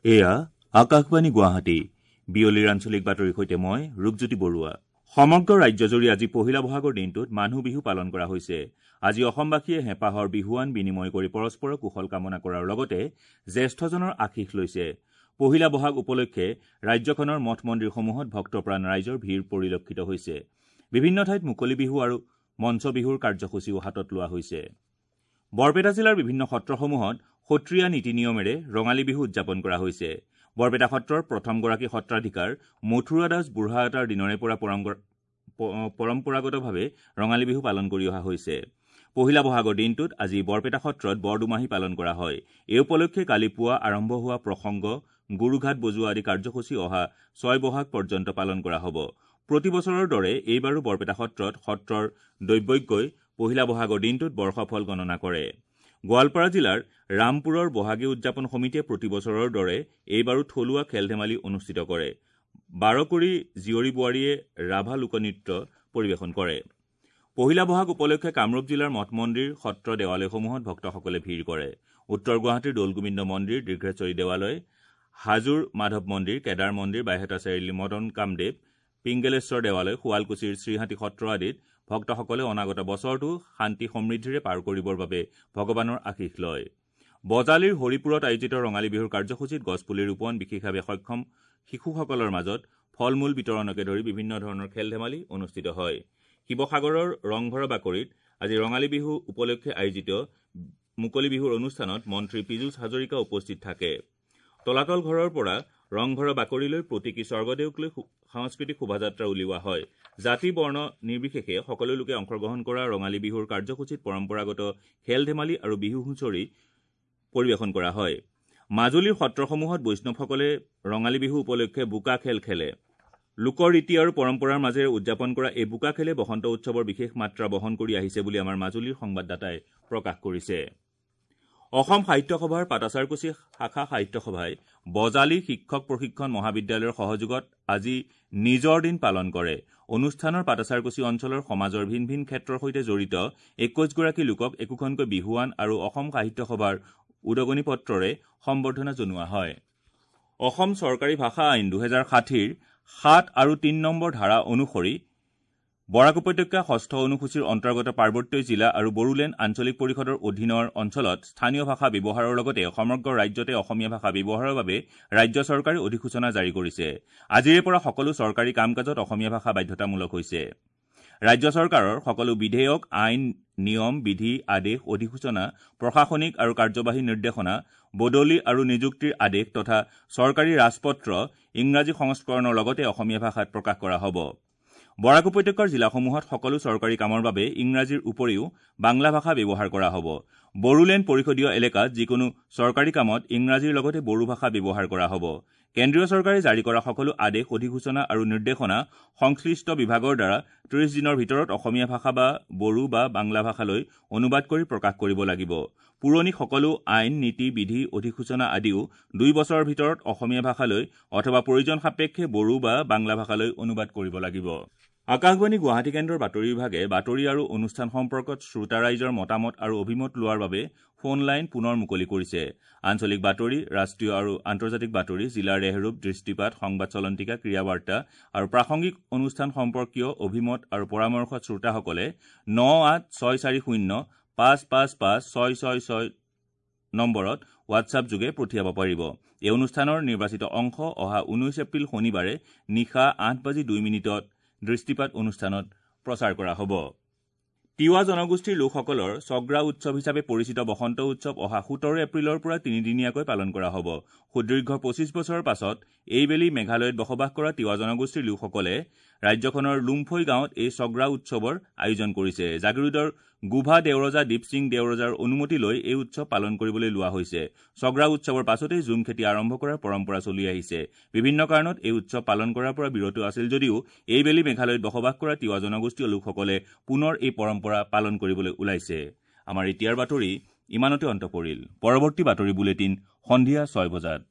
এয়া আকাশবাণী গুৱাহাটী। বিয়লিৰ আঞ্চলিক বাতৰিৰ সৈতে মই ৰূপজ্যোতি বৰুৱা। সমগ্ৰ ৰাজ্যজুৰি আজি পহিলা বহাগৰ দিনটোত মানুহ বিহু পালন কৰা হৈছে। আজি অসমবাসীয়ে হেঁপাহৰ বিহুৱান বিনিময় কৰি পৰস্পৰৰ কুশল কামনা কৰাৰ লগতে জ্যেষ্ঠজনৰ আশীষ লৈছে। পহিলা বহাগ উপলক্ষে ৰাজ্যখনৰ মঠ মন্দিৰসমূহত ভক্তপ্ৰাণ ৰাইজৰ ভিৰ পৰিলক্ষিত হৈছে। বিভিন্ন ঠাইত মুকলি বিহু আৰু মঞ্চ বিহুৰ কাৰ্যসূচীও হাতত লোৱা হৈছে। বৰপেটা জিলাৰ বিভিন্ন সত্ৰসমূহত সত্ৰীয়া নীতি নিয়মেৰে ৰঙালী বিহু উদযাপন কৰা হৈছে। বৰপেটা সত্ৰৰ প্ৰথমগৰাকী সত্ৰাধিকাৰ মথুৰা দাস বুঢ়াআতাৰ দিনৰে পৰা পৰম্পৰাগতভাৱে ৰঙালী বিহু পালন কৰি অহা হৈছে। পহিলা বহাগৰ দিনটোত আজি বৰপেটা সত্ৰত বৰদুমাহী পালন কৰা হয়। এই উপলক্ষে কালি পুৱা আৰম্ভ হোৱা প্ৰসংগ, গুৰুঘাট বজোৱা আদি কাৰ্যসূচী অহা 6 বহাগ পৰ্যন্ত পালন কৰা হ'ব। প্ৰতি বছৰৰ দৰে এইবাৰো বৰপেটা সত্ৰত সত্ৰৰ দৈৱজ্ঞই পহিলা বহাগৰ দিনটোত বৰ্ষফল গণনা কৰে। গোৱালপাৰা জিলাৰ ৰামপুৰৰ বহাগী উদযাপন সমিতিয়ে প্ৰতি বছৰৰ দৰে এইবাৰো থলুৱা খেল ধেমালি অনুষ্ঠিত কৰে। 12কুৰি জীয়ৰী বোৱাৰীয়ে ৰাভা লোকনৃত্য পৰিৱেশন কৰে। পহিলা বহাগ উপলক্ষে কামৰূপ জিলাৰ মঠ মন্দিৰ, সত্ৰ, দেৱালয়সমূহত ভক্তসকলে ভিৰ কৰে। উত্তৰ গুৱাহাটীৰ দৌলগোবিন্দ মন্দিৰ, দীৰ্ঘেশ্বৰী দেৱালয়, হাজোৰ মাধৱ মন্দিৰ, কেদাৰ মন্দিৰ, বাইহাটা চাৰিআলি মদন কামদেৱ, পিংগেলেশ্বৰ দেৱালয়, শুৱালকুছিৰ শ্ৰীহাটী সত্ৰ আদিত ভক্তসকলে অনাগত বছৰটো শান্তি সমৃদ্ধিৰে পাৰ কৰিবৰ বাবে ভগৱানৰ আশীষ লয়। বজালীৰ হৰিপুৰত আয়োজিত ৰঙালী বিহুৰ কাৰ্যসূচীত গছপুলি ৰোপণ, বিশেষভাৱে সক্ষম শিশুসকলৰ মাজত ফল মূল বিতৰণকে ধৰি বিভিন্ন ধৰণৰ খেল ধেমালি অনুষ্ঠিত হয়। শিৱসাগৰৰ ৰংঘৰৰ বাকৰিত আজি ৰঙালী বিহু উপলক্ষে আয়োজিত মুকলি বিহুৰ অনুষ্ঠানত মন্ত্ৰী পীযুষ হাজৰিকা উপস্থিত থাকে। তলাতল ঘৰৰ পৰা ৰংঘৰৰ বাকৰিলৈ প্ৰতীকী স্বৰ্গদেউক লৈ সাংস্কৃতিক শোভাযাত্ৰা উলিওৱা হয়। জাতি বৰ্ণ নিৰ্বিশেষে সকলো লোকে অংশগ্ৰহণ কৰা ৰঙালী বিহুৰ কাৰ্যসূচীত পৰম্পৰাগত খেল ধেমালি আৰু বিহু হুঁচৰি পৰিৱেশন কৰা হয়। মাজুলীৰ সত্ৰসমূহত বৈষ্ণৱসকলে ৰঙালী বিহু উপলক্ষে বোকা খেল খেলে। লোকৰ ৰীতি আৰু পৰম্পৰাৰ মাজেৰে উদযাপন কৰা এই বোকা খেলে বসন্ত উৎসৱৰ বিশেষ মাত্ৰা বহন কৰি আহিছে বুলি আমাৰ মাজুলীৰ সংবাদদাতাই প্ৰকাশ কৰিছে। অসম সাহিত্য সভাৰ পাটাছাৰকুছি শাখা সাহিত্য সভাই বজালী শিক্ষক প্ৰশিক্ষণ মহাবিদ্যালয়ৰ সহযোগত আজি নিজৰ দিন পালন কৰে। অনুষ্ঠানৰ পাটাছাৰকুছি অঞ্চলৰ সমাজৰ ভিন ভিন ক্ষেত্ৰৰ সৈতে জড়িত 21গৰাকী লোকক একোখনকৈ বিহুৱান আৰু অসম সাহিত্য সভাৰ উদগনি পত্ৰৰে সম্বৰ্ধনা জনোৱা হয়। অসম চৰকাৰী ভাষা আইন 2060ৰ 7 আৰু 3 নম্বৰ ধাৰা অনুসৰি বৰাক উপত্যকা ষষ্ঠ অনুসূচীৰ অন্তৰ্গত পাৰ্বত্য জিলা আৰু বড়োলেণ্ড আঞ্চলিক পৰিষদৰ অধীনৰ অঞ্চলত স্থানীয় ভাষা ব্যৱহাৰৰ লগতে সমগ্ৰ ৰাজ্যতে অসমীয়া ভাষা ব্যৱহাৰৰ বাবে ৰাজ্য চৰকাৰে অধিসূচনা জাৰি কৰিছে। আজিৰে পৰা সকলো চৰকাৰী কাম কাজত অসমীয়া ভাষা বাধ্যতামূলক হৈছে। ৰাজ্য চৰকাৰৰ সকলো বিধেয়ক, আইন, নিয়ম, বিধি, আদেশ, অধিসূচনা, প্ৰশাসনিক আৰু কাৰ্যবাহী নিৰ্দেশনা, বদলি আৰু নিযুক্তিৰ আদেশ তথা চৰকাৰী ৰাজপত্ৰ ইংৰাজী সংস্কৰণৰ লগতে অসমীয়া ভাষাত প্ৰকাশ কৰা হ'ব। বৰাক উপত্যকাৰ জিলাসমূহত সকলো চৰকাৰী কামৰ বাবে ইংৰাজীৰ উপৰিও বাংলা ভাষা ব্যৱহাৰ কৰা হ'ব। বড়োলেণ্ড পৰিষদীয় এলেকাত যিকোনো চৰকাৰী কামত ইংৰাজীৰ লগতে বড়ো ভাষা ব্যৱহাৰ কৰা হ'ব। কেন্দ্ৰীয় চৰকাৰে জাৰি কৰা সকলো আদেশ, অধিসূচনা আৰু নিৰ্দেশনা সংশ্লিষ্ট বিভাগৰ দ্বাৰা 30 দিনৰ ভিতৰত অসমীয়া ভাষা বা বড়ো বা বাংলা ভাষালৈ অনুবাদ কৰি প্ৰকাশ কৰিব লাগিব। পুৰণি সকলো আইন, নীতি, বিধি, অধিসূচনা আদিও 2 বছৰৰ ভিতৰত অসমীয়া ভাষালৈ অথবা প্ৰয়োজন সাপেক্ষে বড়ো বা বাংলা ভাষালৈ অনুবাদ কৰিব লাগিব। আকাশবাণী গুৱাহাটী কেন্দ্ৰৰ বাতৰি বিভাগে বাতৰি আৰু অনুষ্ঠান সম্পৰ্কত শ্ৰোতা ৰাইজৰ মতামত আৰু অভিমত লোৱাৰ বাবে ফোন লাইন পুনৰ মুকলি কৰিছে। আঞ্চলিক বাতৰি, ৰাষ্ট্ৰীয় আৰু আন্তৰ্জাতিক বাতৰি, জিলাৰ ৰেহৰূপ, দৃষ্টিপাত, সংবাদ চলন্তিকা, ক্ৰীড়া বাৰ্তা আৰু প্ৰাসংগিক অনুষ্ঠান সম্পৰ্কীয় অভিমত আৰু পৰামৰ্শ শ্ৰোতাসকলে 98640 555 666 নম্বৰত হোৱাটছআপ যোগে পঠিয়াব পাৰিব। এই অনুষ্ঠানৰ নিৰ্বাচিত অংশ অহা 19 এপ্ৰিল শনিবাৰে নিশা 8:02 দৃষ্টিপাত অনুষ্ঠানত প্ৰচাৰ কৰা হ'ব। তিৱা জনগোষ্ঠীৰ লোকসকলৰ চগ্ৰা উৎসৱ হিচাপে পৰিচিত বসন্ত উৎসৱ অহা 17 এপ্ৰিলৰ পৰা তিনিদিনীয়াকৈ পালন কৰা হ'ব। সুদীৰ্ঘ 25 বছৰৰ পাছত এইবেলি মেঘালয়ত বসবাস কৰা তিৱা জনগোষ্ঠীৰ লোকসকলে ৰাজ্যখনৰ লুমফৈ গাঁৱত এই চগ্ৰা উৎসৱৰ আয়োজন কৰিছে। জাগিৰোডৰ গোভা দেওৰজা দীপসিং দেওৰজাৰ অনুমতি লৈ এই উৎসৱ পালন কৰিবলৈ লোৱা হৈছে। চগ্ৰা উৎসৱৰ পাছতেই জুম খেতি আৰম্ভ কৰাৰ পৰম্পৰা চলি আহিছে। বিভিন্ন কাৰণত এই উৎসৱ পালন কৰাৰ পৰা বিৰত আছিল যদিও এইবেলি মেঘালয়ত বসবাস কৰা তিৱা জনগোষ্ঠীয় লোকসকলে পুনৰ এই পৰম্পৰা পালন কৰিবলৈ ওলাইছে। আমাৰ এতিয়াৰ বাতৰি ইমানতে অন্ত পৰিল। পৰৱৰ্তী বাতৰি বুলেটিন সন্ধিয়া 6 বজাত।